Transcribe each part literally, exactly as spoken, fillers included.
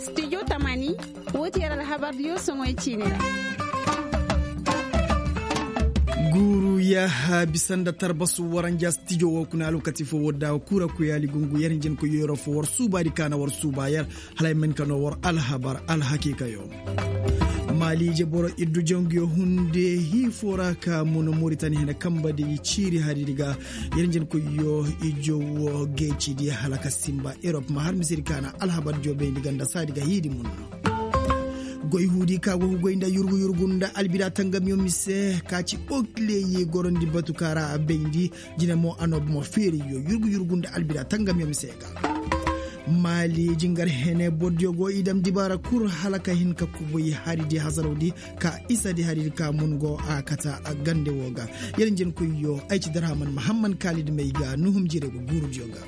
Studio tamani, woo ti yer alhabar diyo soŋoy ciini ra. Guuru yaaha bisa nda tarbasu waranja stijo woo kuna alwakati foo woo da kura kuyaali gungu yer hinjin koy yero foo war suubaadi ka na war suuba yer. Hala ay ma hin ka noo war alhabar alhakiikayo. Maali ije boro iddu janguyo hunde hii foo ra ka mun moritani hene kambadi ciiri haridi ga. Yer hinjin koyyo ijo woo geecidi hala ka simba erop ma har misedi ka na alhabar diyo bayndi ganda saadi ga hiidi mun. Goy huudi ka go goy nda yurgu yurgu nda albida tangamyo mise ka ci okleyi gorondi batu ka ra a bayndi. Jine mo anooba mo feeriyo yurgu yurgu nda albida tangamyo mise ga. Maali jingar hene bordiyo go i dam dibaara kul hala ka hin ka kubuy haridi hasarawdi ka isadi haridi ka mun go a kata a gande woo ga. Yer njenkoyyo ay ci darhaman mahamman kaalidi may ga nuhum jire go guurudiyo ga.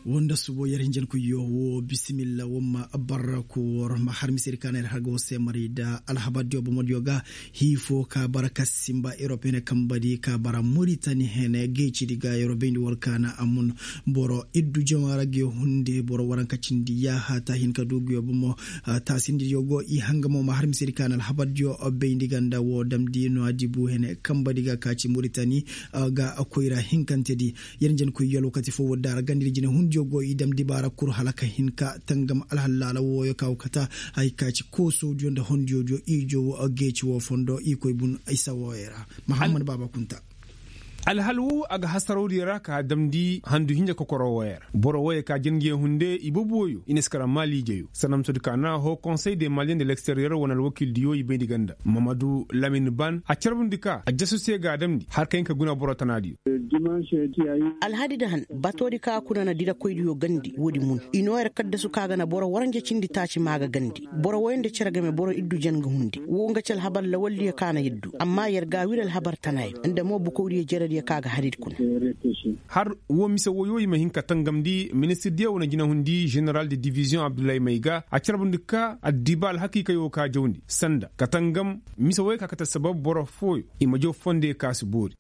Woo nda subo yer hinjankoyyo woo bisimilla woo ma barra ko wor ma har misedi ka na yer har ga woo seemaray da alhabardiyo bomodiyo ga. Hii foo ka bara ka simba erope hene kambadi ka bara moritani hene geecidi ga yer bayndi war ka na a mun boro iddu jamaara ga hunde boro waranka cindi yaaha ta hin ka du ga yo bomo. Taasindidiyo go i hanga mo ma har misedi ka na alhabardiyo bayndi ganda woo damndi nuwaadibu hene kambadi ga ka ci moritani ga koyra hinkantedi. Yer njenkoyyo alwakati foo woo daara gandidi jine hundiyo go i dam dibaara kul hala ka hin ka tangam alhallaala wooyo ka woo kata. Hay ka ci koosodiyo nda hondiyodiyo ijo woo geeci woo fondo i koy bun isa wooyo ra. Mahammad baaba kunta. Alhal woo a ga hasarawdiyo ra ka damndi handu hinja kokoro wooyo ra boro wooyo ka jangiyo hunde i boboyo i na si kara maaliijeyo sanamtodi ka na hoo konsey de maliyen de leksteriyer wane alwakildiyo i bayndi ganda mamadu lamin ban a carbundi ka a jasu se ga a damndi har ka hin ka guna boro tanaadiyo. Alhadi da han batoodi ka kuna na dirakoydiyo gandi woodi mun i noo yer kaddasu ka ga na boro waranja cindi taaci maa ga gandi. Boro woy nda cere game boro iddu jen ga hundi woo nga ci alhabar lawaldiyo ka na yer du amma yer ga a wir alhabar tanaayo nda mo bukawdiyo jerediyo ka ga haridi kuna. Har woo mise woyo i ma hin ka tangamndi ministirdiyo wane jinahundi ženeral de diviziyoŋ abdullahi may ga a carbundi ka addiba alhakiikayo ka jawndi sanda ka tangam mise woyo ka kate sabab boro fooyo i ma jaw fondiyo ka si boori.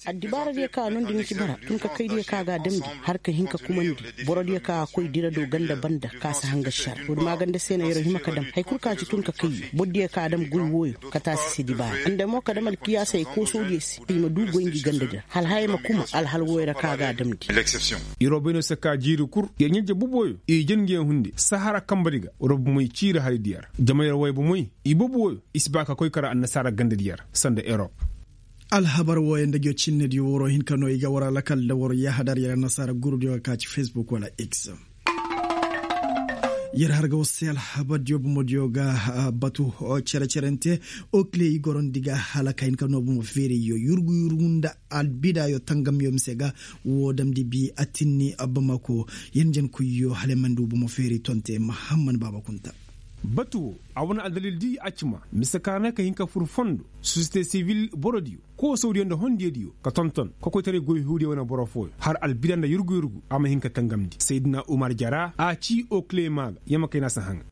Addibaaradiyo ka noondi ni ci bara tun ka kaydiyo ka ga a damndi har ka hin ka kumandi borodiyo ka koy dira do ganda banda ka si hanga šara woodi maaganda se no yer hima ka dam haya kul ka ci tun ka kayyo borodiyo ka dam goy wooyo ka taasi se dibaara nda mo ka dam alkiyaasey koosodiyo se i ma du goy ngi gandadi ra hala haya ma kuma alhal wooyo ra ka ga a damndi. Yer wo bay no se ka jiiri kul yer ɲa-ije boboyo i jin ngi yaŋ hunde sahara kambadi ga wara bomey ciiri haridiyo ra jama yer way bomey i boboyo i si ba ka koy kara annasaara gandadiyo ra sanda erop. Alhabar wooyo nda ngiyo cinnediyo waroo hin ka noo i ga war alakal nda war yahadar yer annasaara gurudiyo ga ka ci facebook wala x. Yer har ga war se alhabardiyo bomodiyo ga batu cere-cerente okile i gorondi ga hala ka hin ka noo bomo feeriyo yurgu yurgu nda albidaayo tangamyo mise ga. Woo damndi bi atinni bamako yer njenkoyyo hala yer ma ndu bomo feeri tonte mahamman baaba kunta. Batu woo a wane addalildi a cima mise ka na ka hin ka fur fondo sosiyete sibil borodiyo koosawdiyo nda hondiyadiyo ka tonton kokoytaray goy huudiyo wane boro fooyo har albida nda yurgu yurgu a ma hin ka tangamndi saydina umar jara a ci okile maa ga yer ma kay na si haŋa.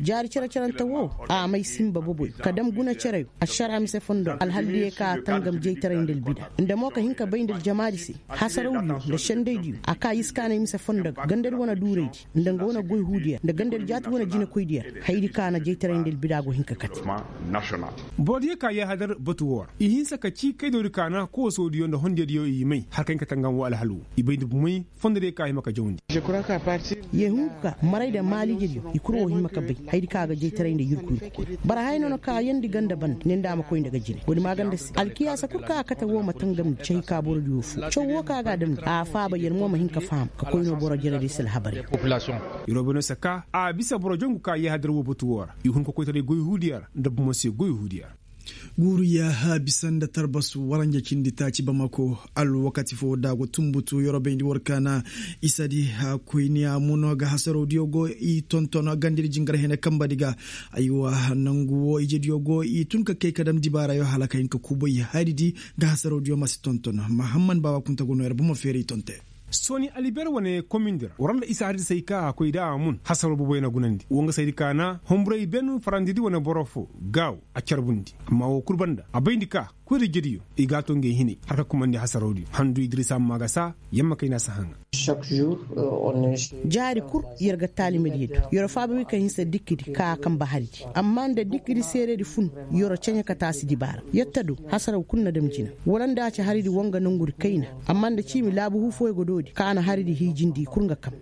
Jaari cere-cerante woo a may sinba boboyo ka dam guna cereyo ašaraa mise fondo ra alhaldiyo ka tangam jaytaray nda albida nda mo ka hin ka bay nda aljamaadi se hasarawdiyo nda sendaydiyo a ka iskaanay mise fondo ga gandadi wane duuraydi nda nga wane goy huudiyo ra nda gandadi jaati wane jinekoydiyo ra hayadi ka na jaytaray nda albida go hin ka kate. Borodiyo ka yaahadar batu woo ra i hinsa ka cii kaydoodi ka na koosodiyo nda hondiyadiyo i may har ka hin ka tangam woo alhal woo i bay nda bumey fondodiyo ka hima ka jawndi. Yee hungu ka maray nda maaliijediyo i kul woo hima ka bay hayadi ka ga jaytaray nda yurku yurku koy bara haya no na kaayandi ganda banda ne nda a ma koy nda ga jine woodi maaganda se alkiyaasa kul ka a kate woo ma tangamndi cahi ka borodiyo foo caw woo ka ga a damndi a faaba yer mo ma hin ka faham ka koy no boro jerediyo se alhabarey. Yer wo bay no se ka a bisa boro jongu ka yaahadar woo batu woo ra i hun ka koytaray goy huudiyo ra nda bumo se goy huudiyo ra. Guuru yaaha bisa nda tarbasu waranja cindi taaci bamako alwakati foo da go tunbutu yer wo bayndi war ka na isadi koyniya muno ga hasarawdiyo go i tonton gandadi jingar hene kambadi ga. Aywa nangu woo ijediyo go i tun ka kay ka dam dibaarayo hala ka hin ka kubay haridi nda hasarawdiyo ma si tonton mahamman baaba kunta go noo yer bomo feeri tonte. Sooni alibiyar wane komindi ra war nda isa haridi se hay ka a koy nda a mun hasaroo boboyo na gunandi woo nga se hayadi ka na humburay ben farandidi wane boro foo gaawo a carbundi amma woo kul banda a bayndi ka Koyra jediyo i g'a to ngey hinay har ka kumandi hasarawdiyo handu idrisa maagasa. Yamma kayna si haŋa. Jaari kul yer ga taalimadiyo du. Yer faaba wi ka hinsa dikkidi ka a kamba haridi amma nda dikkidi seeredi fun. Yer ceɲe ka taasi dibaara yer ta du hasaraw kul na dam jina. Wala nda a ci haridi woo nga nongudi kayna. Amma nda ciimi laabu huu fooyo ga doodi ka a na haridi hiijindi kul nga kam.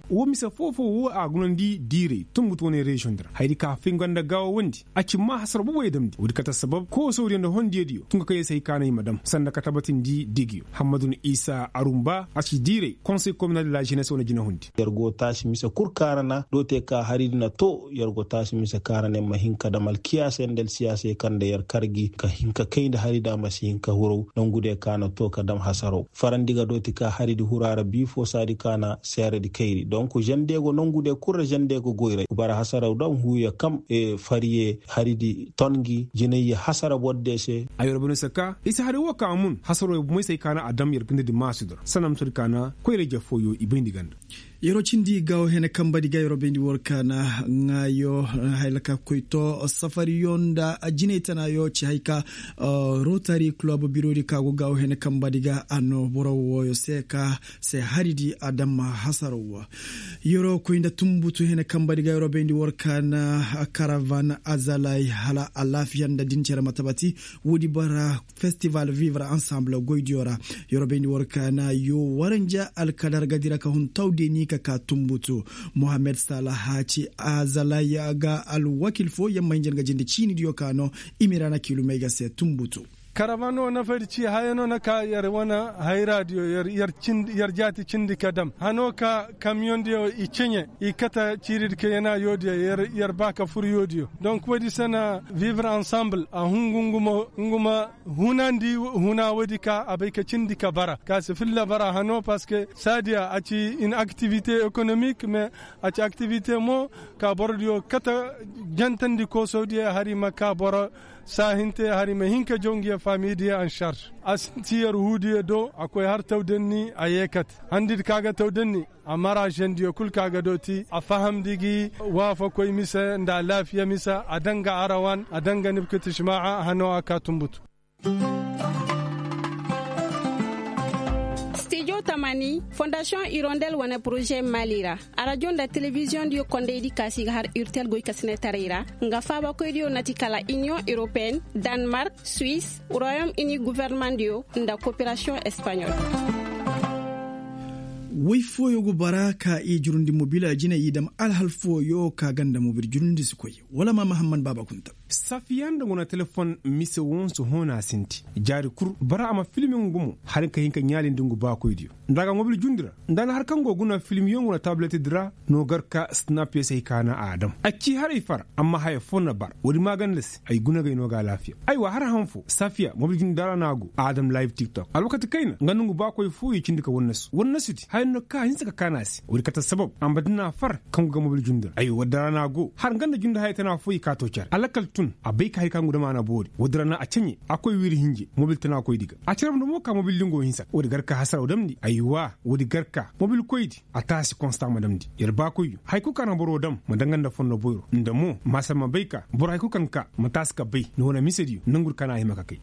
Woo mise foo-foo woo a gunandi diiray tunbutu wane reziyoŋ di ra hayadi ka fay nga nda gaawawandi. A ci maa hasaraw boboyo damndi woodi kate sabab koosawdiyo nda hondiyodiyo tun ka kay yer se hay ka na i ma dam sanda ka tabatindi digiyo hammadu nda isa arumba a ci diiray konsey kominal de la ženes wane jinahundi. Yer go taasi mise kul kaarana doo te ka haridi na too yer go taasi mise kaarana yer ma hin ka dam alkiyaasey nda alsiyaasey kaŋ nda yer kar gi ka hin ka kay nda haridi a ma si hin ka huraw. Nongudiyo ka na too ka dam hasaraw farandi ga dooti ka haridi hura ra bii foo saadi ka na seeredi kayri donk žende go nongudiyo kul ra žende go goyray bara hasaraw dam huuyo kam. Fariye haridi ton ngi jinayye hasara bordiyo se. Ay wara bane se ka i si hari woo ka a mun hasaroo bomoy se ay ka na a dam yer gandadi maasudi ra sanda ma sodi ka na koyra-ije fooyo i bayndi ganda. Yeroo cindi gaawo hene kambadi ga yeroo bayndi war ka na ŋaayo. Hay la ka koy to safariyo nda jinay tanaayo ci hay ka rotari kulob birodi ka go gaawo hene kambadi ga a no boro wooyo se ka se haridi a dam hasaraw. Yeroo koy nda tunbutu hene kambadi ga yeroo bayndi war ka na karavan azalay hala alaafiya nda din cere ma tabati. Woodi bara festival vivre ensemble goydiyo ra. Yeroo bayndi war ka na yoo waranja alkadar ga dira ka hun tawdeni ka ka tunbutu. Mohammed salaha ci azalay ga alwakil foo yer ma hinja nga jinde ciinidiyo ka no. Imirana kiilumey ga se tunbutu. Karavan woo nafadi ci haya no na ka yer wane hayraadiyo yer jaati cindi ka dam hano ka kamiyondiyo i ceɲe i kate ciiridi ka yena yoodiyo. Yer ba ka fur yoodiyo donk woodi se na vivre ensemble a hungu ngu ma hunandi huna woodi ka a bay ka cindi ka bara ka si filla bara hano parceque saadiya a ci in aktivite ekonomik mais a ci aktivite mo ka borodiyo kate jantandi koosodiyo hari ma ka boro saahinte hari ma hin ka jaw ngiyo faamidiyo en sarž. A sinti yer huudiyo do a koy har tawdanni a yee kate handidi ka ga tawdanni a mara žendiyo kul ka ga dooti a fahamndi gi waafakoy mise nda alaafiya mise a daŋ ga arawan a daŋ ga nibkit ijma'a hano a ka tunbutu. Stijo tamani fondasiyoŋ irondel wane poroze mali ra. Arajo nda telebiziyoŋ diyo kondaydi ka si ga har urtel goykasinetaray ra nga faabakoydiyo na ti kala iniyoŋ europeen, danmark, suwis, royom ini governemandiyo nda koperasiyoŋ espaɲol. Woy fooyo go bara ka i jurundi mobil a jine i dam alhal fooyo ka ganda mobil jurundi si koy. Wala ma mahamman baaba kunta. Safiya nda go na telefon mise wonso hoona sinti jaari kul bara a ma filmi ngu mo hari ka hin ka ɲaalindi ngu baakoydiyo. Nda a ga mobil jundi ra nda a na har kaŋ go guna filmiyo ngu na tabiletedi ra. No gar ka snap ya se hay ka na a dam a ci haray far amma haya fo na bar woodi maaganda se ay guna gay no ga alaafiya. Aywa har han fo safiya mobil jundi daara no a go a dam live tiktok alwakati kayna nga nda ngu baakoy fo i cindi ka wannasi wannasidi haya no ka hinsa ka kaana se woodi kate sabab a ma dina far kaŋ go ga mobil jundi ra aywa woodi daara no a go har nga nda jundi haya tana fo i ka to care alakal tun a bay ka hay ka ngu dam a na boori woodi ra no a ceɲe a koy wiiri hinje mobil tana koydi ga a care nda mo ka mobil dingo hinsa woodi gar ka hasaraw damndi aywa woodi gar ka mobil koydi a taasi konsta ma damndi yer baakoyyo haya kul ka na boro dam ma daŋ nga nda fondo boyro nda mo maasa ma bay ka boro haya kul kaŋ ka ma taasi ka bay nda wane misediyo nangudi ka na a hima ka kay.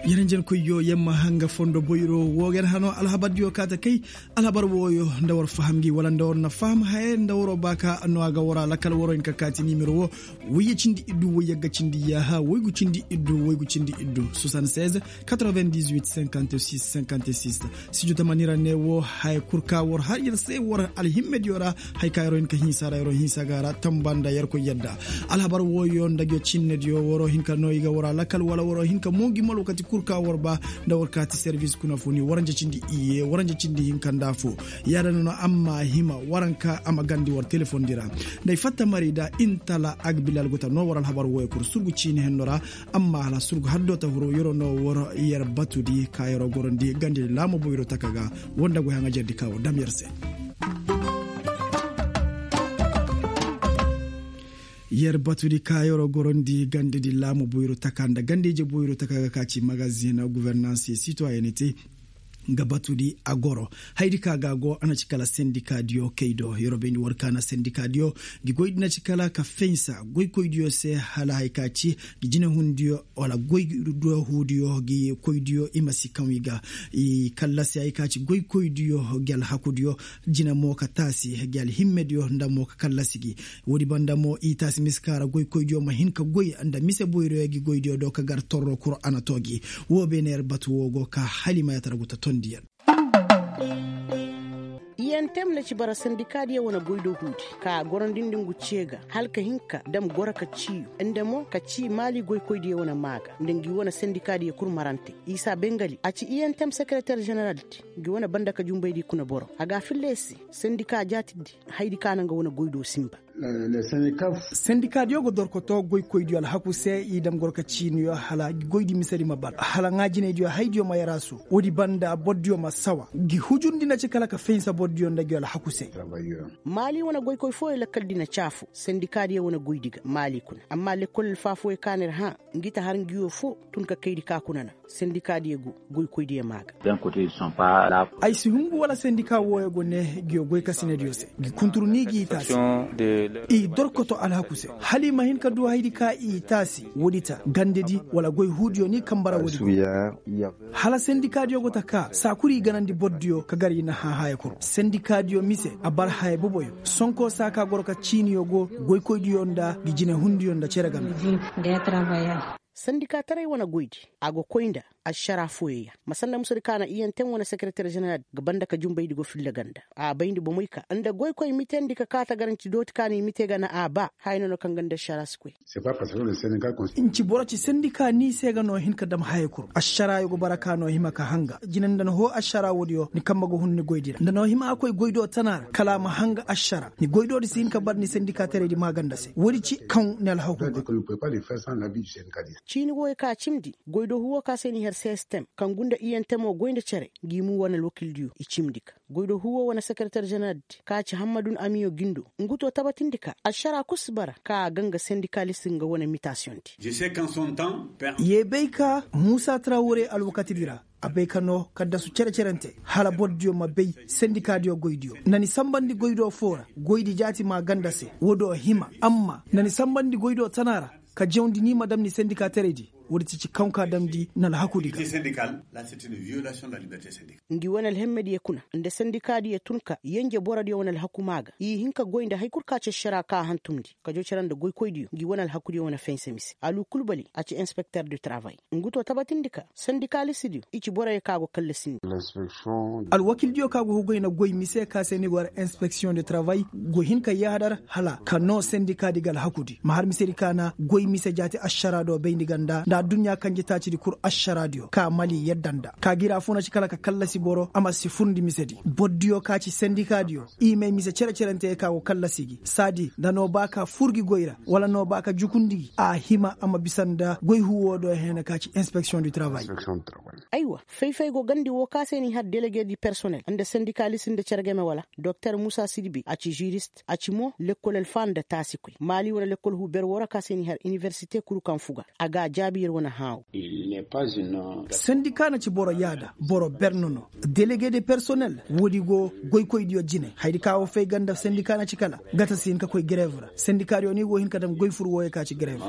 Yer njenkoyyo yer ma hanga fondo boyro woo yer hano alhabardiyo kaate kay. Alhabar wooyo nda war faham gi wala nda war na faham haye nda waroo ba ka no a ga war alakal waroo hin ka kaati nimero woo. Woyye cindi iddu woyye ga cindi yaaha woygu cindi iddu woygu cindi iddu soixante-seize quatre-vingt-dix-huit cinquante-six cinquante-six. Studio tamani ra ne woo haya kul ka war har yer se war alhimmediyo ra. Hay ka yeroo hin ka hinsa ra yeroo hinsa ga ra tamba nda yerkoy yadda. Alhabar wooyo nda ga cinnediyo waroo hin ka no i ga war alakal wala waroo hin ka mo ngi mal wakati kul ka war ba nda war kaati servis kuna funi waranja cindi iyye waranja cindi hinka nda fo. Yaada no no amma hima waranka a ma gandi war telefondi ra. Nda ay fatta mari da intala agbilal go ta no war alhabar wooyo kul surgu ciini henno ra. Amma hala surgu haddo ta huro yeroo no war yer batudi ka yeroo gorondi gandi laamo boyro taka ga. Woo nda goy haŋa jerdi ka war dam yer se. Yer batudi ka yeroo gorondi gandedi laamo boyro taka nda gandije boyro taka ga ka ci magazin guvernanse sitoyenete. Nga batudi a goro. Haydi ka ga go a na ci kala sendikaadiyo kay do yeroo bayndi war ka na sendikaadiyo, gi goydi na ci kala ka fensa goykoydiyo se hala haya ka ci gi jinehundiyo wala goydiyo huudiyo gi koydiyo i ma si kaŋ i ga i kallasi haya ka ci goykoydiyo gi alhakudiyo, jine mo ka taasi gi alhimmediyo nda mo ka kallasi gi. Woodi banda mo i taasi mise ka ra goykoydiyo ma hin ka goy nda mise boyroyo gi goydiyo do ka gar torro kul a na too gi. Woo beene yer batu woo go ka hala i ma yaatara gu ta tondiyaŋ. Iyentem na ci bara sendikaadiyo wane goydoo huudi ka a gorandi nda ngu cee ga hala ka hin ka dam goro ka ciiyu nda mo ka cii maali goykoydiyo wane maa ga nda ngi wane sendikaadiyo kul marante. Isa bengali a ci iyentem sekereter ženeraldi ngi wane banda ka junbaydi kuna boro a ga a filla yer se. Sendikaa jaatidi hayadi ka na nga wane goydoo sinba. Sendikaadiyo ga dorkotoo goykoydiyo alhaku se i dam goro ka ciiniyo hala goydi misedi ma bar hala ŋaa jinaydiyo hayadiyo ma yaraasu. Woodi banda bordiyo ma sawa gi hujundi na ci kala ka fahinsa bordiyo nda gi alhaku se. Maali wane goykoy fooyo lakkaldi na caafu sendikaadiyo wane goydi ga maali kuna amma lekkol alfaa fooyo kaana ir hã. Ngi ta har ngiyo foo tun ka kaydi ka kuna na sendikaadiyo go goykoydiyo maa ga. Ay si hungu wala sendikaa wooyo go ne ngiyo goykasinediyo se ngi kuntur ni g'i taasi. I dorkoto alhaku se hala i ma hin ka du hayadi ka i taasi woodi ta gandedi wala goy huudiyo ni kamba ra woodi go. Hala sendikaadiyo go ta kaa saa kul i ganandi bordiyo ka gar i na hã haya kul sendikaadiyo mise a bar haya boboyo. Sonko saa ka goro ka ciiniyo go goykoydiyo nda ngi jinehundiyo nda cere game. Sandikaataray wane goydi a go koy nda ašaraa fooyey ya ma sanda musadi ka na iyentem wane sekereter ženeral ga banda ka junbaydi go filla ganda. A bayndi bomey ka nda goykoy mitendi ka kaa tagaranci dooti ka no i mite ga na a baa haya no no kaŋ ganda ašaraa si koy. Nci boro ci sandikaa ni se ga no hin ka dam haya kul ašaraayo go bara ka no hima ka hanga jine nda ni hoo ašaraa woodiyo ni kambe ga hun ni goydi ra nda no hima a koy goydoo tana ra kala a ma hanga ašaraa ni goydoodi si hin ka bar ni sandikaataraydi maaganda se woodi ci kaŋ ni alhaku ga. Ciini wooyo ka cimndi goydoo huwoo ka se ni har sistem kaŋ gunda iyentemoo goy nda cere ngi muu wane alwakildiyo i cimndi ga goydoo huwoo wane sekereter ženeraldi ka ci hammadun amiyo gindo ngu too tabatindi ka ašaraa kul si bara ka a ga nga sendikaalist nga wane mitasiyondi. Ye bay ka muusa trawore alwakatidi ra a bay ka noo kaddasu cere-cerante hala bordiyo ma bay sendikaadiyo goydiyo na ni sanbandi goydoo foo ra goydi jaati maaganda se woodoo hima amma na ni sanbandi goydoo tana ra ka jawndi ni ma dam ni sendikaataraydi. Woodi ti ci kaŋ ka damndi na alhakudi ga. Ngi wane alhemmediyo kuna nda sendikaadiyo tun ka yenje borodiyo wane alhaku maa ga i hin ka goy nda hay kul ka ci ašaraa ka a hantumndi ka joo cere nda goykoydiyo ngi wane alhakudiyo wane fense mise alu kul bali a ci inspekter du travay. Ngu too tabatindi ka sendikalistidiyo i ci boroyo ka go kallasindi. Alwakildiyo ka go hugay na goy mise ka se ni go har inspeksiyoŋ de travay go hin ka yaadar hala ka noo sendikaadi ga alhakudi ma har misedi ka na goy mise jaati ašaraa do bayndi ganda nda adduɲɲaa kanjetaacidi kul ašaraadiyo ka mali yadda nda ka gi ra funa ci kala ka kallasi boro a ma si furndi misedi bordiyo ka ci sendikaadiyo i may mise cere-cerante ka go kallasi gi saadi nda noo ba ka fur gi goy ra wala noo ba ka jukundi gi a hima a ma bisa nda goy huwoo do heena ka ci inspeksiyoŋ du travay. Aywa fay-fay go gandi woo ka se ni har delege di personel nda sendikaalist nda cere game wala doktor muusa sidibi a ci žirist a ci mo lekkol alfaa nda taasikoy maali wane lekkol huu ber woo ra ka se ni har iniversite kul kaŋ fuga a ga a jaabi yer wane hãawo. Sendikaa na ci boro yaada boro ber nono delege de personel woodi go goykoydiyo jine hayadi ka woo fay ganda sendikaa na ci kala gata si hin ka koy grev ra sendikaadiyo ni go hin ka dam goy fur wooyo ka ci grev.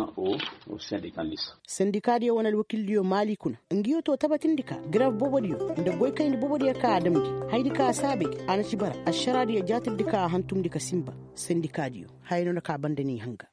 Sendikaadiyo wane alwakildiyo maali kuna ngiyo too tabatindi ka grev boobodiyo nda goykayndi boobodiyo ka a damndi hayadi ka a saabay a na ci bara ašaraadiyo jaatirdi ka a hantumndi ka sinba. Sendikaadiyo haya no na ka a banda n'i hanga.